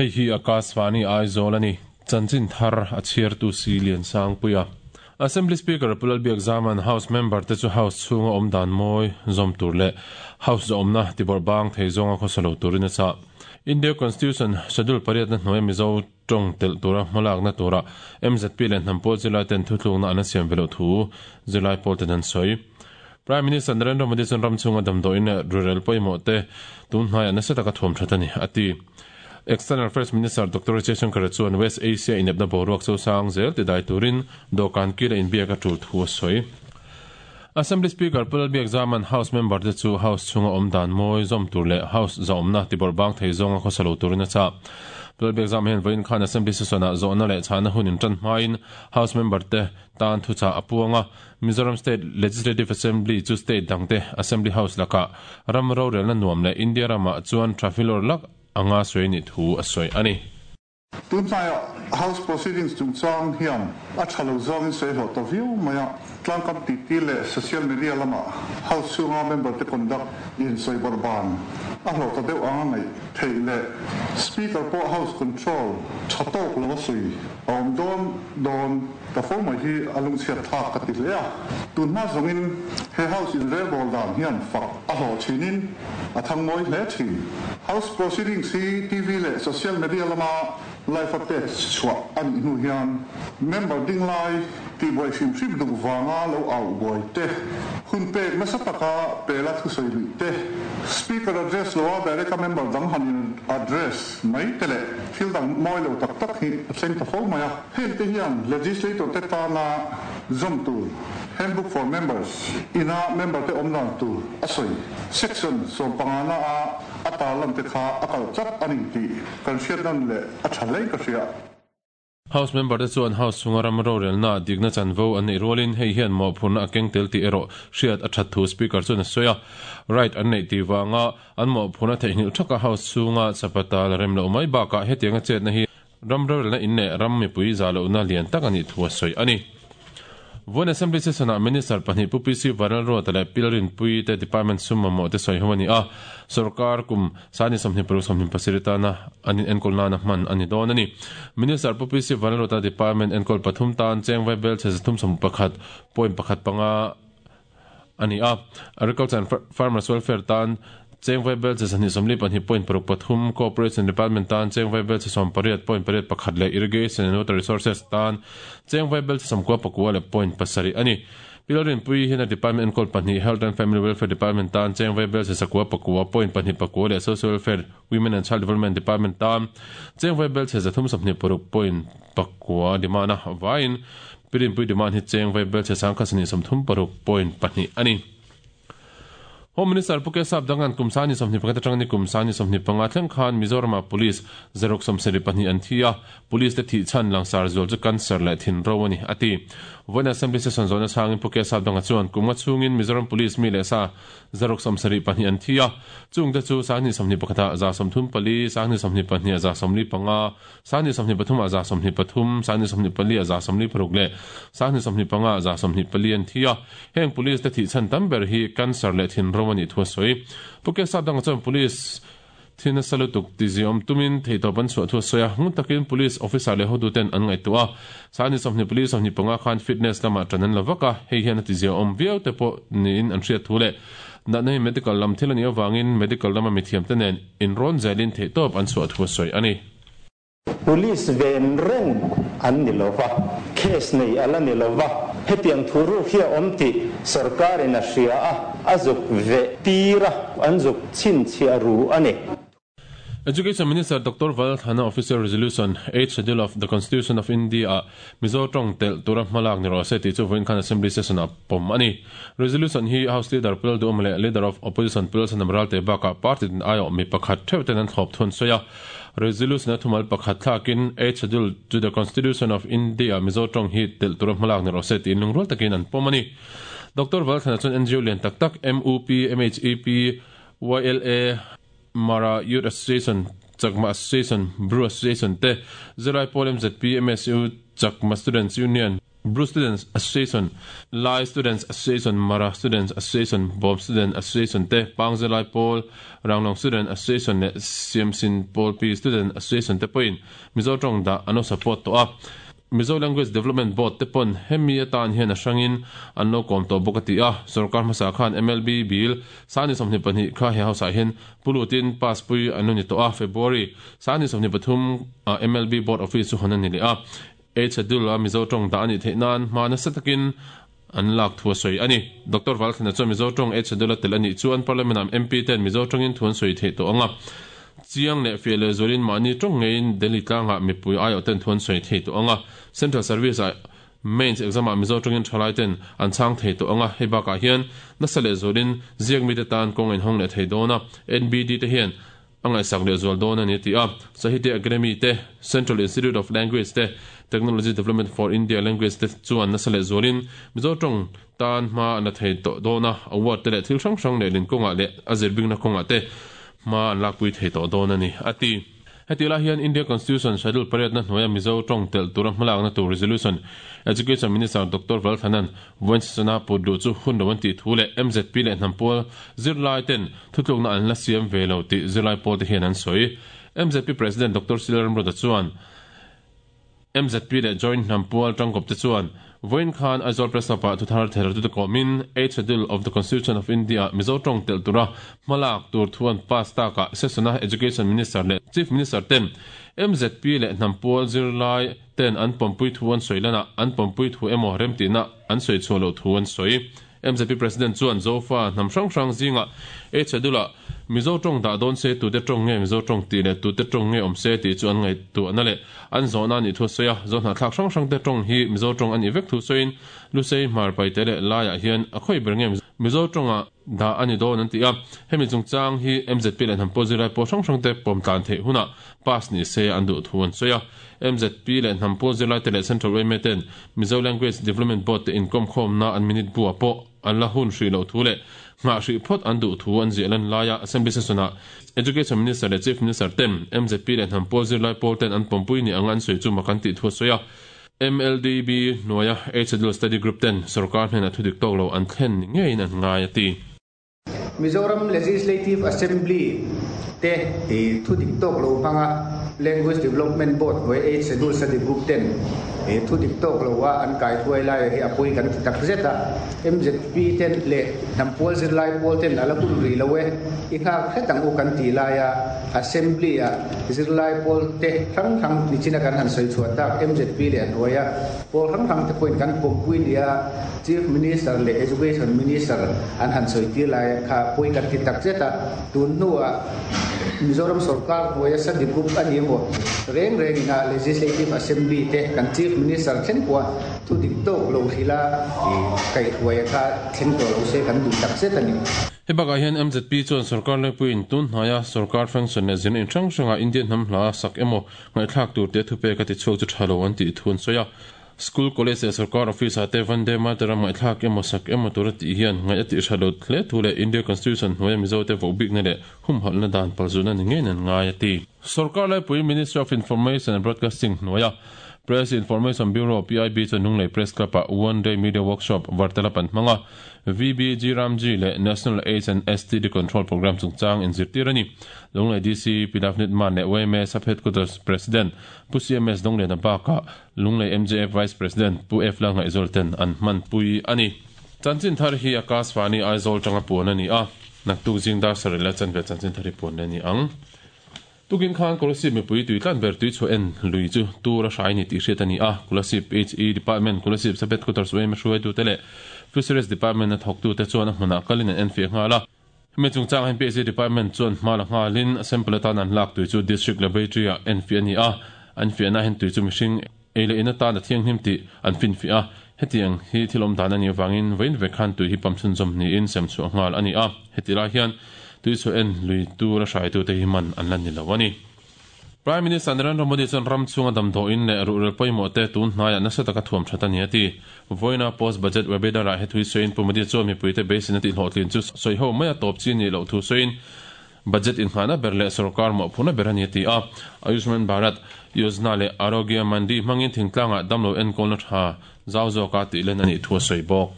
Hei hi Akashvani Aizawl a ni. Chanchin thar a chhiartu si Liansangpuia. Assembly Speaker Pu Lalbiakzama'n House member te chu House chhunga awm dan mawi zawm tur leh House zawhawmna tibawrh bang thei zawnga khawsa lo turin a chah. India Constitution Schedule pariatna hnuaia Mizo tawng telh tura hmalakna tura MZP leh hnam pawl zirlai ten thutlukna an la siam ve loh thu zirlai pawl ten an sawi. Prime Minister Narendra Modi chuan ram chhunga damdawiin leh rurel pawimawh te tun hnaiah nasa taka thuam that a ni, a ti. External Affairs Minister Doctor Jaishankar chuan West Asia inepna boruak chosang zel tidai turin dawhkan kil a inbiak a tul thu a sawi. Assembly Speaker Pu Lalbiakzama'n House member te chu House chhunga awm dan mawi zawm tur leh House zahawmna tibawrh bang thei zawnga khawsa lo turin a chah. Pu Lalbiakzama hian vawiin khan Assembly session-ah zawhna leh chhahna hun intan hmain House member te tan thuchah a puang a, Mizoram State Legislative Assembly chu state dangte Assembly House lakah ram rorelna nuam leh India ramah chuan tha filawr lak anga sawi nih thu a sawi a ni. Tunhnaiah House Proceedings chungchang hian a tha lo zawngin sawi hlawh ta viau mai a, tlangkam titi leh social media lamah House chhunga member te conduct in sawi bawrh ban a hlawh ta deuh anga ngaih theih leh Speaker pawh House control tha tawk lo a sawi a awm dawn dawn Ta fo mai hi a lungchhiat thlak ka ti hle a, tunhma zawngin he House inrelbawl dan hian fak a hlawh thinin a thang mawi hle thin. House proceedings hi TV leh social media lama live a pek chhuah a nih hnu hian member ding lai tihbuai hrim hrim duh vanga lo au buai te, hun pek nasa taka pela thusawi luih te, Speaker address loa direct a member dang han in address mai te leh thil dang mawi lo tak tak hi a thleng ta fo mai a. Hengte hian Legislator te tana zawm tur Handbook for Members ina member te awm dan tur a sawi. Section sawmpangana a a tarlan te kha a kal tlat a ni tih kan hriat nan leh a tha hle ka hria. House member te chuan House chhunga ram rorelna dikna chanvo an neih rualin hei hian mawhphurhna a keng tel tih erawh hriat a that thu Speaker chuan a sawi a. Right an neih tih vanga an mawhphurhna theihnghilh thaka House chhunga chapata la rem loh mai bakah hetianga chetna hi Ram rorelna in leh ram mipui zah lohna lian tak a nih thu a sawi a ni. Vawiin Assembly Session-ah Minister pahnih Pu PC Vanlalruata leh Pi Lalrinpuii te Department sum mamawh te sawi ho a ni a, sorkar kum sani 26 27 tana an in enkawl nana hman a ni dawn a ni. Minister Pu PC Vanlalruata Department enkawl pathum tan cheng vaibel chhe 331 point pakhat panga a ni a. Agriculture and Farmers Welfare tan cheng vaibel chi 242 point paruk pathum, Cooperation Department tan cheng vaibel chi 18 point pariat pakhat leh Irrigation and Water Resources tan cheng vaibel chi sawmkua pakua leh point pasarih a ni. Pi Lalrinpuii hian a department enkawl pahnih Health and Family Welfare Department tan cheng vaibel chi sakua pakua point pahnih pakua leh Social Welfare, Women and Child Development Department tan cheng vaibel chi 326 point pakua demand a vaiin Pirinpui demand hi cheng vai belchhe sangkhat sahnih 36 point pahnih a ni. Home Minister Pu Kesap Dangan kum sani 21 atanga ni kum sani 25 thleng khan Mizoramah Police zaruk 72 an thi a, Police te thih chhan langsar zual chu cancer leh thinro a ni, a ti. Vawiin Assembly Session zawhna chhangin Pu Kesap Danga chuan kum nga chhungin Mizoram Police mi leh sa Zaruk 72 an thi a, chungte chu sanghnih 21 ah 34, sanghnih 22 ah 75, Sanghnih 23 ah 23, sanghnih 24 ah 46 leh sanghnih 25 ah 24 an thi a. Heng Police te thih chhan tam ber hi cancer leh thinro a nih thu a sawi. Pu Kesap dangah chuan Police thi nasa lutuk ti ziawm tumin theihtawp an chhuah thu a sawi a. Ngun takin Police officer leh hotuten an ngaihtuah a. Sanghnih 24, 25 khan fitness lamah ṭan an la vak a, hei hian a ti ziawm viau te pawh niin an hriat thu leh natna hi medical lam thil a nih avangin medical lama mithiamte nen inrawn zelin theihtawp an chhuah thu a sawi a ni. Police ven reng an ni lo va, case nei a la ni lo va, hetiang thu ruk hi a awm tih sorkarin a hria a, a zuk veh tir a, an zuk chhinchhiah ru a ni. Education Minister Doctor Valthana Official Resolution, Eighth Schedule of the Constitution of India ah Mizo tawng telh tura hmalak ni rawh se tih chu vawiin khan Assembly Session ah pawm a ni. Resolution hi House Leader Pu Lalduhawma leh Leader of Opposition Pu Lalsanam Ralte bakah party tin aiawh mi pakhat theuh ten an thlawp thun sawi a. Resolution a thumal pakhat thlakin Eighth Schedule to the Constitution of India Mizo tawng hi telh tura hmalak ni rawh se tiin lungrual takin an pawm a ni. Doctor Valthlana chuan NGO lian tak tak MUP, MHEP, YLA, Mara Youth Association, Chakma Association, Bru Association te, Zirlai Pawl MZP, MSU, Chakma Students Union, Bru Students Association, Lai Students Association, Mara Students Association, Bawm Student Association te, Pangzilai Pawl, Ranglong Student Association leh Siamsin Pawlpi Student Association te pawhin Mizo tawng dah an lo support tawh a. Mizo Language Development Board te pawn hemi atan hian a hrangin an lo kawm tawh bawk a ti a. Sorkar hmasa khan MLB bill sangni 22 kha he house ah hian pu lutin pass pui an lo ni tawh a. February sangni 23 ah MLB Board Office chu hawn a ni leh a. Eight Schedule a Mizo tawng dah a nih theih nan hma nasa takin an lak thu a sawi a ni. Doctor Valthlana chuan Mizo tawng Eight Schedule a tel a nih chuan Parliament ah MP ten Mizo tawngin thu an sawi theih tawh ang a. Chiang leh fiah leh zualin mahni tawng ngeiin Delhi tlangah mipui aiawh ten thu an sawi thei tawh ang a. Central Service ah Mains exam ah Mizo tawngin thalai ten an chhang thei tawh ang a. Hei bakah hian nasa leh zualin ziak mite tan kawng a inhawng leh thei dawn a. NBD te hian A ngaihsak leh zual dawn a ni a ti a. Sahitya Academy te, Central Institute of Language te, Technology Development for India Language te chuan nasa leh zualin Mizo tawng tan hma an la thei tawh dawn a, award te leh thil hrang hrang leh lin kawngah leh a zirbingna kawngah te hma an lakpui thei tawh dawn a ni a ti. Heti lai hian India Constitution Schedule pariatna hnuaia Mizo tawng telh tura hmalakna tur Resolution Education Minister Doctor Valthanan Vawinsasana put luh chu hun lo an tih thu leh MZP leh hnam pawl zirlai ten thutlukna an la siam ve lo tih zirlai pawl te hian an sawi. MZP President Doctor Sila Ramruata chuan MZP leh Joint hnam pawl tangkawp te chuan vawiin khan Aizawl Press Club ah thuthar thertute kawmin Eighth Schedule of the Constitution of India ah Mizo tawng telh tura hmalak tur thu an pass takah Session-a Education Minister leh Chief Minister ten MZP leh hnam pawl zirlai ten an pawmpui thu an sawi lanah an pawmpui thu emaw remtihna an sawi chhuah loh thu an sawi. MZP President chuan Zofa hnam hrang hrang zingah Eighth Schedule-ah Mizo tawng dah dawn se tute tawng nge Mizo tawng tih leh tute tawng nge awm se tih chu an ngaihtuahna leh an zawhna a nih thu a sawi a. Zohnahthlak hrang hrangte tawng hi Mizo tawng a nih vek thu sawiin Lusei, Hmar, Paite leh Laiah hian a khawi ber nge Mizo tawnga dah a ni dawn an ti a. Hemi chungchang hi MZP leh hnam pawh zirlai pawl hrang hrangte pawm tlan theih hunah pass ni se an duh thu an sawi a. MZP leh hnam pawl zirlaite leh Central yma ten Mizo Language Development Board te inkawmkhawmna an minute buah pawh an la hun hrih loh thu leh nghah hrih phawt an duh thu an ziah lan laia Assembly Session-ah Education Minister leh Chief Minister ten MZP leh hnam pawl zirlai pawl ten an pawmpui ni anga an sawi chu mak an tih thu a sawi a. MLDB hnuaia Eight Schedule Study Group ten sorkar hnenah thu dik tawk lo an thlen ni ngeiin an ngai a ti. Mizoram Legislative Assembly te thu dik tawk lo hmanga Language Development Board hnuai Eight Schedule Study Group ten thu dik tawk lo a an kai hruai lai hi a pawi kan ti tak zet a. MZP ten leh hnam pual zirlai pawl ten a la hun rih lo e, i nghak hret ang u kan tih laia Assembly ah Zirlai pawl te hrang hrang nichina kan han sawi chhuah tak MZP leh a hnuaia pawl hrang hrang te pawhin kan pawmpui nia Chief Minister leh Education Minister an han sawi tir lai kha pawi kan ti tak zet a. Tun hnuah Mizoram sorkar hnuaia study group a ni emaw reng rengin a Legislative Assembly te kan Chief Minister thleng pawha thu dik tawk lo hrilh a kaihhruaia kha thleng tawh lo se kan duh tak zet a ni. Hei bakah hian MZP chuan sorkar laipuiin tun hnaia sorkar function leh zirna in hrang hrangah Indian hnam hla sak emaw ngaihthlak tur te thupek a tichhuak chu tha lo an tih thu an sawi a. School, college leh sorkar office ah te Vande Mataram ngaihthlak emaw sak emaw tur a tih hian ngaih a tih hra lo hle thu leh India Constitution hnuaia Mizote vohbikna leh humhalhna dan palzutna ni ngeiin an ngai a ti. Sorkar laipui Ministry of Information and Broadcasting hnuaia Press Information Bureau, PIB, chuan Lunglei Press Club-ah One Day Media Workshop Vartalap an hmang a. VBG Ramji leh National AIDS and STD Control Programme chungchang inzirtir a ni. Lunglei DC Pi Navneet Mann leh yma Sub Headquarters President Pu CMS Dawngliana bakah Lunglei MJF Vice President Pu F Lalngaihzawl ten an hmanpui a ni. Chanchin thar hi Akashvani Aizawl tanga puan a ni a, naktuk zing dar sarih leh chanve chanchin thar hi puan leh a ni ang. Tukin khan Kolasib mipui tui tlan ber tui chhuah en lui chu tur a hrai ni tih hriat a ni a, Kolasib HE Department, Kolasib Sub Headquarters yma hruaitute leh Fisheries Department a thawktute chuan a hmunah kalin an enfiah nghal a. Hemi chungchangah hian PHE Department chuan hma la nghalin sample atan an lak tui chu District Laboratory-ah enfiah a ni a, an fiahna hian tui chu mihring ei leh in atan a thianghlim tih an finfiah a, hetiang hi thil awm dan a nih avangin vawiin vek khan tui hi pump chhunzawm niin sem chhuah nghal a ni a, heti lai hian tui chhuah en lui tura hraitute hi man an la ni lo a ni. Prime Minister Narendra Modi chuan ram chhunga damdawiin leh ruhrel pawimawh te tun hnaiah nasa taka thuam that a ni a ti. Vawiina post budget webinar-ah he thui sawiin Pu Modi chuan mipuite beiseina tihhlawhtlin chu sawiho maia tawp chi nih loh thu sawiin. budget innghahna ber leh sorkar mawhphurhna ber a ni a ti a. Ayushman Bharat Yojana leh Arogya Mandi hmangin thingtlangah damlo enkawlna tha zau zawka tih len a nih thu a sawi bawk.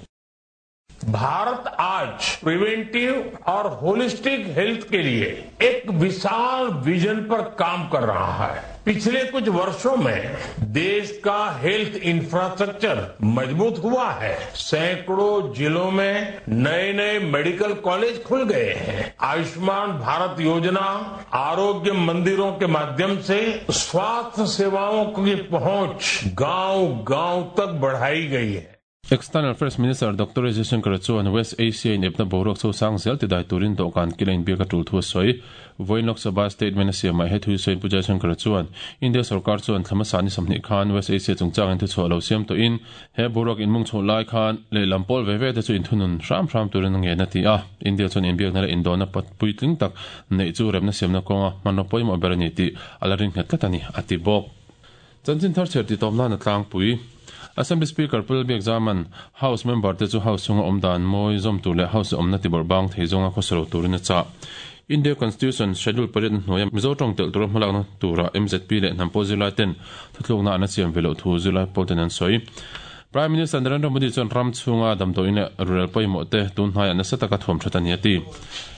Bharat आज preventive और holistic health के लिए एक विशाल vision पर काम कर रहा है। पिछले कुछ वर्षों में देश का हेल्थ इंफ्रास्ट्रक्चर मजबूत हुआ है। सैकड़ों जिलों में नए नए मेडिकल कॉलेज खुल गए हैं। आयुष्मान भारत योजना, आरोग्य मंदिरों के माध्यम से स्वास्थ्य सेवाओं की पहुंच गांव गांव तक बढ़ाई गई है। External Affairs Minister Doctor Jaishankar chuan West Asia inepna boruak chosang zel tidai turin dawhkan kila inbiak a tul thu a sawi. Vawiin Lok Sabha statement a siamah he thu sawiin Pu Jaishankar chuan India sorkar chuan thla hmasa ni 20 khan West Asia chungchangin thuchhuah lo siam tawhin he boruak inmung chhoh lai khan lehlam pawl ve ve te chu inthunun hram hram turin a ngen a ti a. India chuan inbiakna leh indawhna puitling tak neih chu remna siamna kawnga hmanraw pawimawh ber a ni tih a la ring nghet tlat a ni, a ti bawk. Chanchin thar chhiar titawm nan a tlangpui. Assembly Speaker Pu Lalbiak Zaman House member te chu House chhunga awm dan mawi zawm tur leh House awmna tibawrh bang thei zawnga khawsalo turin a chah. India Constitution Schedule pariat hnuaia Mizo tawng telh tura hmalakna tura mzp leh hnam pawh zirlai ten thuthlukna an a siam ve loh thu zirlai pawl ten an sawi. Prime Minister Narendra Modi chuan ram chhunga damdawiin leh rural pawimawh te tun hnaiah nasa taka thuam that a ni a ti.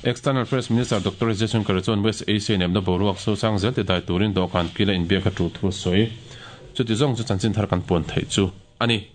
External Affairs Minister Doctor Jaishankar chuan West Asia inepna boruak sosang zel ti dai turin dawhkan kila inbiak a tul thu a sawi. Chuti zawng chu chanchin thar kan puan theih chu a ni.